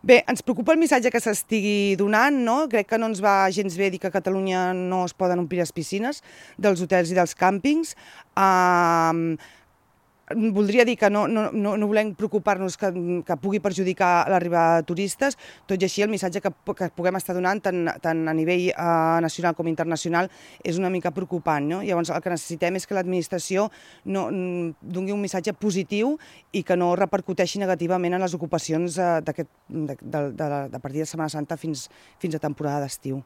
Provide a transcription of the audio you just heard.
Bé, ens preocupa el missatge que s'estigui donant, no? Crec que no ens va gens bé dir que a Catalunya no es poden omplir les piscines dels hotels i dels càmpings. Voldria dir que no volem preocupar-nos que pugui perjudicar l'arribada de turistes, tot i així el missatge que puguem estar donant tant a nivell nacional com internacional és una mica preocupant, no? Llavors el que necessitem és que l'administració doni un missatge positiu i que no repercuteixi negativament en les ocupacions de partir de Setmana Santa fins a temporada d'estiu.